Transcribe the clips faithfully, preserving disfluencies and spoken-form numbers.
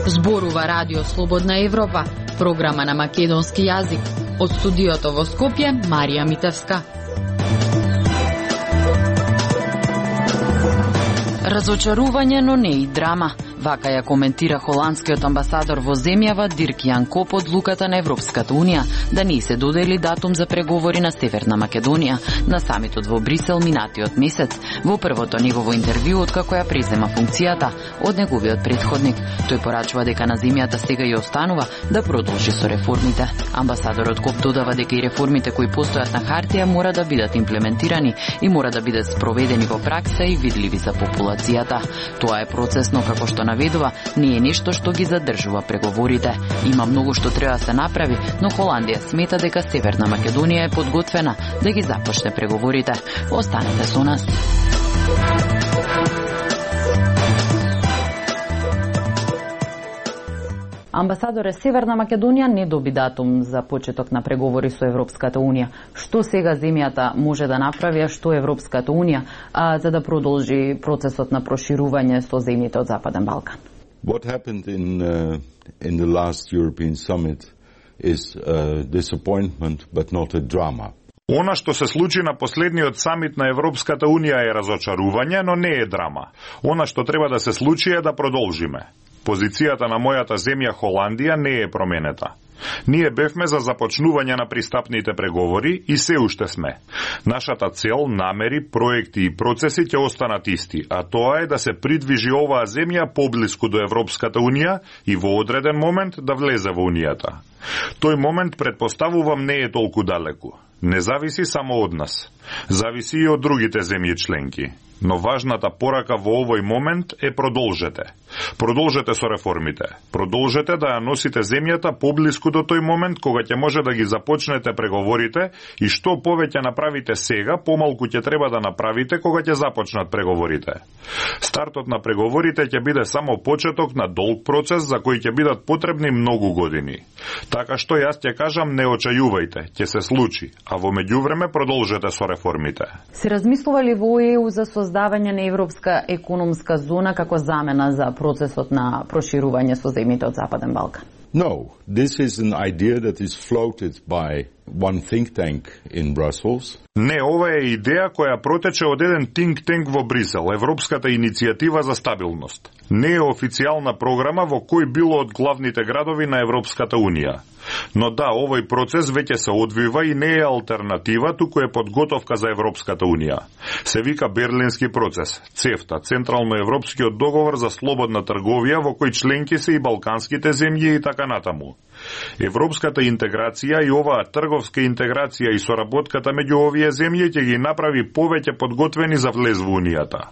Зборува Радио Слободна Европа, програма на македонски јазик. Од студиото во Скопје, Марија Митевска. Разочарување, но не и драма. Вака ја коментира холандскиот амбасадор во земјава Дирк Јан Коп од луката на Европската Унија да не се додели датум за преговори на Северна Македонија на самитот во Брисел минатиот месец, во првото негово интервју откако ја презема функцијата од неговиот претходник. Тој порачува дека на земјата сега ја останува да продолжи со реформите. Амбасадорот Коп додава дека и реформите кои постојат на хартија мора да бидат имплементирани и мора да бидат спроведени во пракса и видливи за популацијата. Тоа е процес, но како што наведува, не е нешто што ги задржува преговорите. Има многу што треба да се направи, но Холандија смета дека Северна Македонија е подготвена да ги започне преговорите. Останете со нас. Амбасадоре, Северна Македонија не доби датум за почеток на преговори со Европската Унија. Што сега земјата може да направи, а што Европската Унија, а, за да продолжи процесот на проширување со земјите од Западен Балкан? What happened in uh, in the last European summit is a disappointment but not a drama. Она што се случи на последниот самит на Европската Унија е разочарување, но не е драма. Она што треба да се случи е да продолжиме. Позицијата на мојата земја Холандија не е променета. Ние бевме за започнување на пристапните преговори и се уште сме. Нашата цел, намери, проекти и процеси ќе останат исти, а тоа е да се придвижи оваа земја поблиску до Европската Унија и во одреден момент да влезе во Унијата. Тој момент, предпоставувам, не е толку далеку. Не зависи само од нас. Зависи и од другите земји членки. Но важната порака во овој момент е продолжете. Продолжете со реформите. Продолжете да ја носите земјата поблиску до тој момент кога ќе може да ги започнете преговорите и што повеќе направите сега, помалку ќе треба да направите кога ќе започнат преговорите. Стартот на преговорите ќе биде само почеток на долг процес за кој ќе бидат потребни многу години. Така што јас ќе кажам, не очајувајте, ќе се случи, а во меѓувреме продолжете со реформите. Се размислува ли во ЕУ за создавање на Европска економска зона како замена за процесот на проширување со земјите од Западен Балкан? No, this is an idea that is floated by one think tank in Brussels. Не, ова е идеја која протече од еден think tank во Брисел, Европската иницијатива за стабилност. Не е официјална програма во кој било од главните градови на Европската Унија. Но да, овој процес веќе се одвива и не е алтернатива, туку е подготовка за Европската Унија. Се вика Берлински процес, ЦЕФТА, Централно-европскиот договор за слободна трговија во кој членки се и балканските земји и така натаму. Европската интеграција и оваа трговска интеграција и соработката меѓу овие земји ќе ги направи повеќе подготвени за влез во Унијата.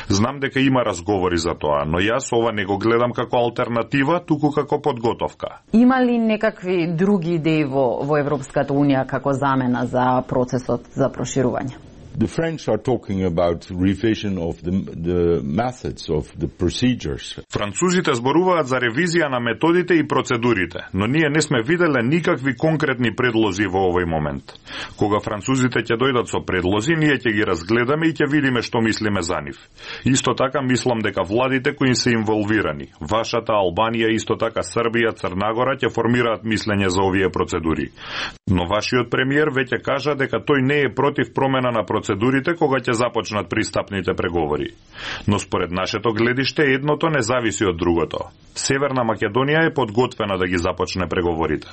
Знам дека има разговори за тоа, но јас ова не го гледам како алтернатива, туку како подготовка. Има ли некакви други идеи во, во Европската Унија како замена за процесот за проширување? The French are talking about revision of the, the methods of the procedures. Французите зборуваат за ревизија на методите и процедурите, но ние не сме виделе никакви конкретни предлози во овој момент. Кога французите ќе дојдат со предлози, ние ќе ги разгледаме и ќе видиме што мислиме за нив. Исто така мислам дека владите кои се инволвирани, вашата Албанија, исто така Србија, Црнагора ќе формираат мислење за овие процедури. Но вашиот премиер веќе кажа дека тој не е против промена на процедурите процедурите кога ќе започнат пристапните преговори. Но според нашето гледиште едното не зависи од другото. Северна Македонија е подготвена да ги започне преговорите.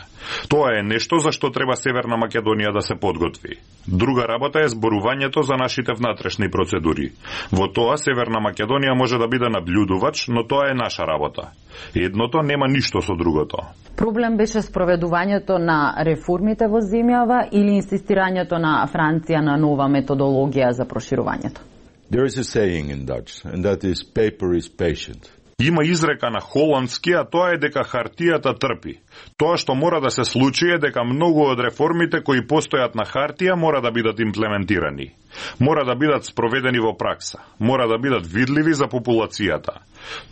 Тоа е нешто за што треба Северна Македонија да се подготви. Друга работа е зборувањето за нашите внатрешни процедури. Во тоа Северна Македонија може да биде наблюдувач, но тоа е наша работа. Едното нема ништо со другото. Проблем беше спроведувањето на реформите во земјава или инсистирањето на Франција на нова методологија за проширувањето? There is a saying in Dutch, and that is paper is patient. Има изрека на холандски, а тоа е дека хартијата трпи. Тоа што мора да се случи е дека многу од реформите кои постојат на хартија мора да бидат имплементирани. Мора да бидат спроведени во пракса. Мора да бидат видливи за популацијата.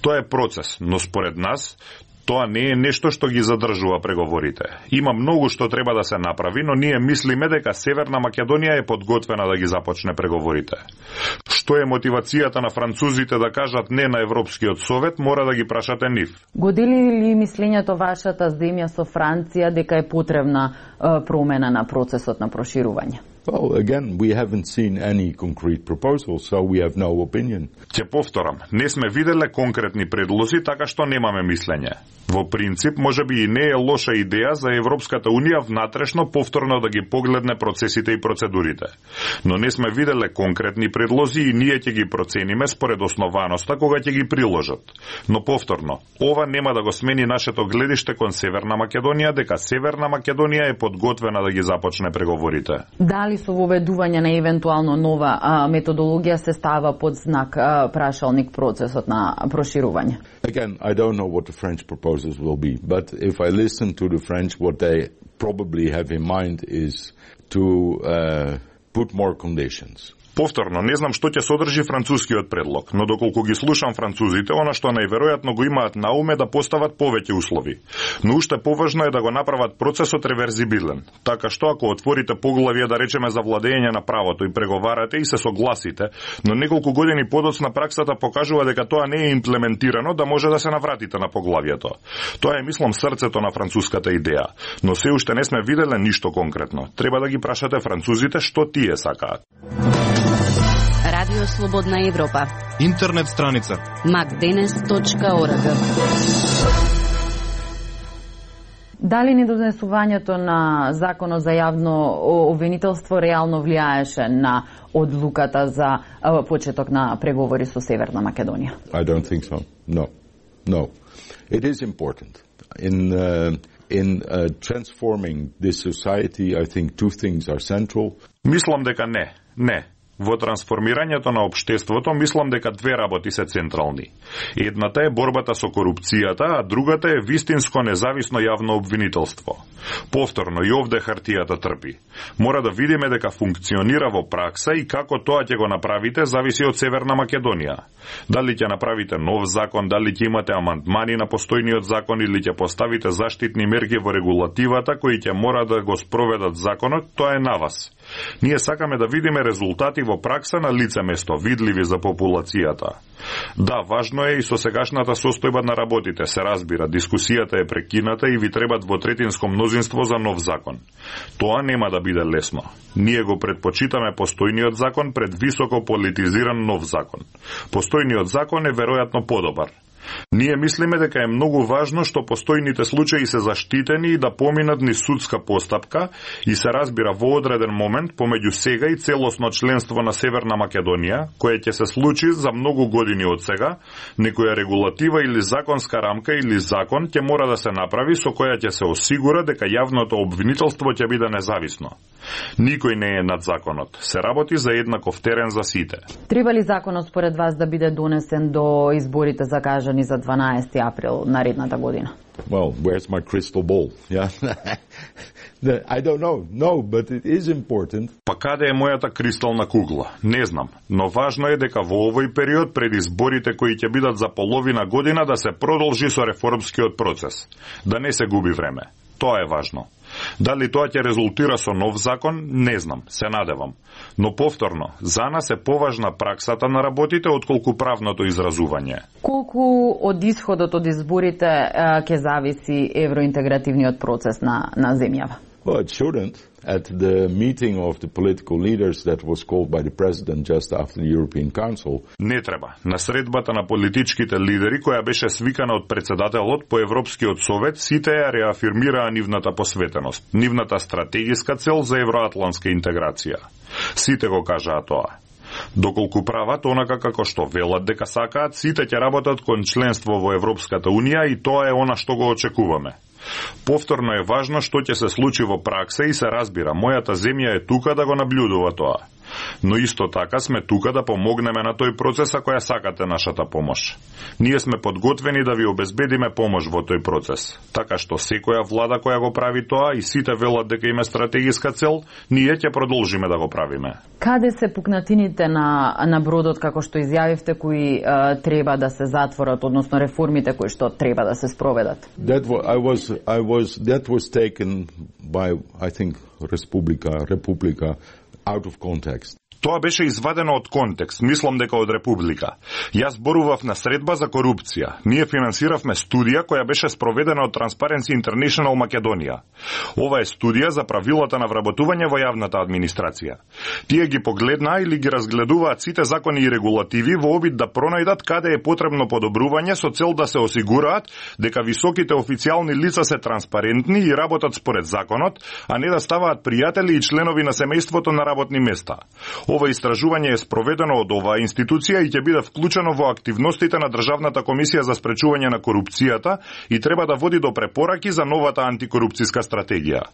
Тоа е процес, но според нас Тоа не е нешто што ги задржува преговорите. Има многу што треба да се направи, но ние мислиме дека Северна Македонија е подготвена да ги започне преговорите. Што е мотивацијата на французите да кажат не на Европскиот совет, мора да ги прашате нив. Го дели ли мислењето вашата земја со Франција дека е потребна е, промена на процесот на проширување? Well, again, we haven't seen any concrete proposals, so we have no opinion. Ќе повторам, не сме виделе конкретни предлози, така што немаме мислење. Во принцип, можеби и не е лоша идеја за Европската Унија внатрешно повторно да ги погледне процесите и процедурите. Но не сме виделе конкретни предлози и ние ќе ги процениме според основаноста кога ќе ги приложат. Но повторно, ова нема да го смени нашето гледиште кон Северна Македонија дека Северна Македонија е подготвена да ги започне преговорите. Дали со воведување на евентуално нова а, методологија се става под знак а, прашалник процесот на проширување? Again, I don't know what the French proposals will be, but if I listen to the French, what they probably have in mind is to uh, put more conditions. Повторно, не знам што ќе содржи францускиот предлог, но доколку ги слушам французите, она што најверојатно го имаат на уме да постават повеќе услови. Но уште поважно е да го направат процесот реверзибилен, така што ако отворите поглавие да речеме за владење на правото и преговарате и се согласите, но неколку години подоцна праксата покажува дека тоа не е имплементирано, да може да се навратите на поглавието. Тоа е, мислам, срцето на француската идеја, но се уште не сме виделе ништо конкретно. Треба да ги прашате французите што тие сакаат. Радио Слободна Европа. Интернет страница макденес точка орг. Дали недонесувањето на законот за јавно обвинителство реално влијаеше на одлуката за почеток на преговори со Северна Македонија? I don't think so. No. No. It is important. In uh, in uh, transforming this society, I think two things are central. Мислам дека не. Не. Во трансформирањето на општеството, мислам дека две работи се централни. Едната е борбата со корупцијата, а другата е вистинско независно јавно обвинителство. Повторно, и овде хартијата трпи. Мора да видиме дека функционира во пракса и како тоа ќе го направите зависи од Северна Македонија. Дали ќе направите нов закон, дали ќе имате амандмани на постојниот закон или ќе поставите заштитни мерки во регулативата кои ќе мора да го спроведат законот, тоа е на вас. Ние сакаме да видиме резултати во пракса на лице место, видливи за популацијата. Да, важно е и со сегашната состојба на работите, се разбира, дискусијата е прекината и ви треба двотретинско мнозинство за нов закон. Тоа нема да биде лесно. Ние го предпочитаме постојниот закон пред високо политизиран нов закон. Постојниот закон е веројатно подобар. Ние мислиме дека е многу важно што постојните случаи се заштитени и да поминат низ судска постапка и се разбира во одреден момент помеѓу сега и целосно членство на Северна Македонија, кое ќе се случи за многу години од сега, некоја регулатива или законска рамка или закон ќе мора да се направи со која ќе се осигура дека јавното обвинителство ќе биде независно. Никој не е над законот. Се работи за еднаков терен за сите. Треба ли законот според вас да биде донесен до изборите закажани за дванаесети април наредната година? Well, where's my crystal ball? Yeah. I don't know. No, but it is important. Па каде е мојата кристална кугла? Не знам, но важно е дека во овој период пред изборите кои ќе бидат за половина година да се продолжи со реформскиот процес. Да не се губи време. Тоа е важно. Дали тоа ќе резултира со нов закон, не знам, се надевам. Но повторно, за нас е поважна праксата на работите отколку правното изразување. Колку од исходот од изборите ќе зависи евроинтегративниот процес на, на земјава? Well, it shouldn't. At the meeting of the political leaders that was called by the president just after the European Council. Не треба. На средбата на политичките лидери, која беше свикана од председателот по Европскиот совет, сите ја реафирмираа нивната посветеност, нивната стратегиска цел за евроатлантска интеграција. Сите го кажаа тоа. Доколку прават онака како што велат дека сакаат, сите ќе работат кон членство во Европската Унија и тоа е она што го очекуваме. Повторно е важно што ќе се случи во пракса и се разбира, мојата земја е тука да го наблюдува тоа. Но исто така сме тука да помогнеме на тој процес ако ја сакате нашата помош. Ние сме подготвени да ви обезбедиме помош во тој процес. Така што секоја влада која го прави тоа и сите велат дека има стратегиска цел, ние ќе продолжиме да го правиме. Каде се пукнатините на на бродот како што изјавивте кои е, треба да се затворат, односно реформите кои што треба да се спроведат? That was, I was, I was, that was taken by, I think, Republika, Republika out of context. Тоа беше извадено од контекст, мислам дека од Република. Јас зборував на средба за корупција. Ние финансиравме студија која беше спроведена од Transparency International Македонија. Ова е студија за правилата на вработување во јавната администрација. Тие ги погледнаа или ги разгледуваат сите закони и регулативи во обид да пронајдат каде е потребно подобрување со цел да се осигураат дека високите официјални лица се транспарентни и работат според законот, а не да ставаат пријатели и членови на семејството на работни места. Ова истражување е спроведено од оваа институција и ќе биде вклучено во активностите на Државната комисија за спречување на корупцијата и треба да води до препораки за новата антикорупцијска стратегија.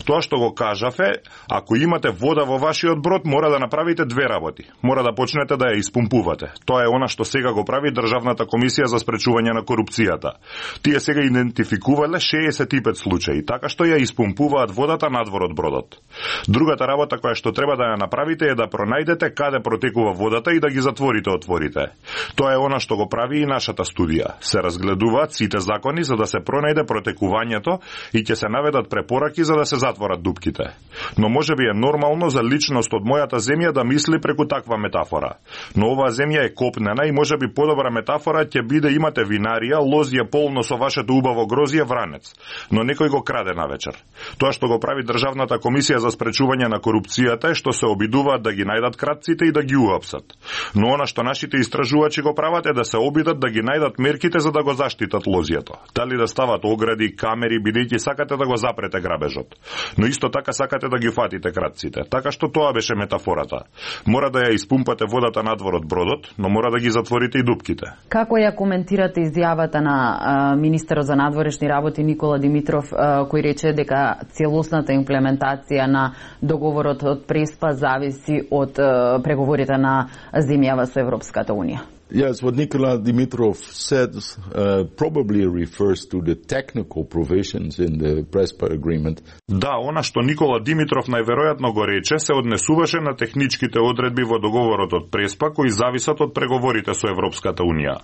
Тоа што го кажав е, ако имате вода во вашиот брод, мора да направите две работи. Мора да почнете да ја испумпувате. Тоа е она што сега го прави Државната комисија за спречување на корупцијата. Тие сега идентификувале шеесет и пет случаи, така што ја испумпуваат водата надвор од бродот. Другата работа која што треба да ја направите е да најдете каде протекува водата и да ги затворите отворите. Тоа е она што го прави и нашата студија. Се разгледуваат сите закони за да се пронајде протекувањето и ќе се наведат препораки за да се затворат дупките. Но можеби е нормално за личност од мојата земја да мисли преку таква метафора. Но оваа земја е копнена и можеби подобра метафора ќе биде имате винарија, лозје полно со вашето убаво грозје вранец, но некој го краде навечер. Тоа што го прави Државната комисија за спречување на корупцијата е што се обидуваат да ги најдат кратците и да ги уапсат. Но она што нашите истражувачи го прават е да се обидат да ги најдат мерките за да го заштитат лозјето. Дали да стават огради, камери, бидејќи сакате да го запрете грабежот. Но исто така сакате да ги фатите кратците. Така што тоа беше метафората. Мора да ја испумпате водата надвор од бродот, но мора да ги затворите и дупките. Како ја коментирате изјавата на а, министерот за надворешни работи Никола Димитров, а, кој рече дека целосната имплементација на договорот од Преспа зависи од uh, преговорите на земјава со Европската Унија? Yes, what Nikola Dimitrov said uh, probably refers to the technical provisions in the Prespa agreement. Да, она што Никола Димитров најверојатно го рече се однесуваше на техничките одредби во договорот од Преспа кои зависат од преговорите со Европската Унија.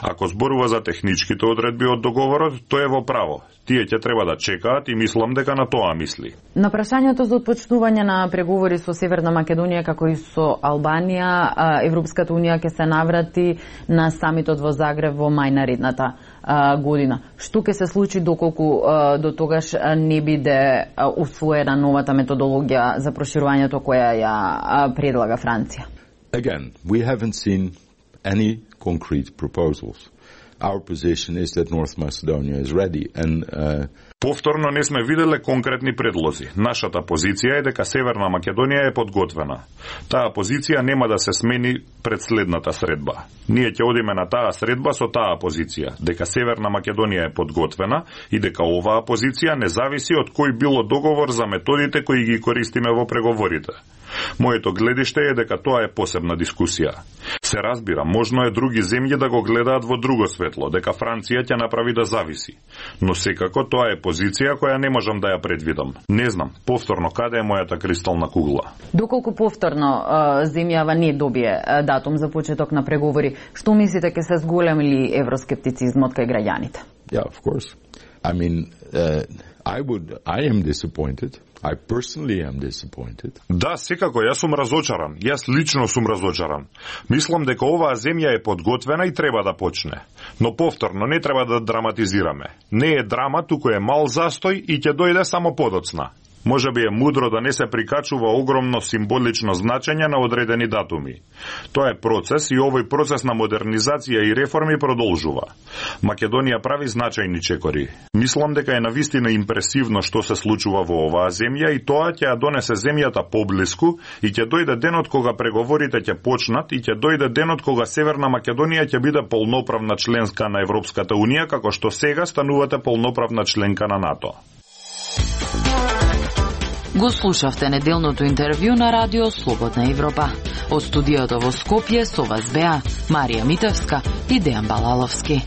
Ако зборува за техничките одредби од договорот, тој е во право. Тие ќе треба да чекаат и мислам дека на тоа мисли. На прашањето за отпочнување на преговори со Северна Македонија како и со Албанија, Европската Унија ќе се наврати на самитот во Загреб во мај наредната а, година. Што ќе се случи доколку а, до тогаш не биде а, усвоена новата методологија за проширувањето која ја а, предлага Франција? Again, we haven't seen any concrete proposals. Our position is that North Macedonia is ready and uh, Повторно не сме виделе конкретни предлози. Нашата позиција е дека Северна Македонија е подготвена. Таа позиција нема да се смени пред следната средба. Ние ќе одиме на таа средба со таа позиција, дека Северна Македонија е подготвена и дека оваа позиција не зависи од кој било договор за методите кои ги користиме во преговорите. Моето гледиште е дека тоа е посебна дискусија. Се разбира, можно е други земји да го гледаат во друго светло, дека Франција ќе направи да зависи. Но секако тоа е позиција која не можам да ја предвидам. Не знам, повторно, каде е мојата кристална кугла. Доколку повторно земјава не добие датум за почеток на преговори, што мислите ќе се зголеми ли евроскептицизмот кај граѓаните? Yeah, of course. I mean, uh, I would, I am disappointed. I personally am disappointed. Да, секако, јас сум разочаран. Јас лично сум разочаран. Мислам дека оваа земја е подготвена и треба да почне. Но повторно, не треба да драматизираме. Не е драма, туку е мал застој и ќе дојде само подоцна. Може би е мудро да не се прикачува огромно символично значење на одредени датуми. Тоа е процес и овој процес на модернизација и реформи продолжува. Македонија прави значајни чекори. Мислам дека е навистина импресивно што се случува во оваа земја и тоа ќе ја донесе земјата поблиску и ќе дојде денот кога преговорите ќе почнат и ќе дојде денот кога Северна Македонија ќе биде полноправна членска на Европската Унија, како што сега станувате полноправна членка на НАТО. Го слушавте неделното интервју на Радио Слободна Европа. Од студиото во Скопје со вас беа Марија Митевска и Дејан Балаловски.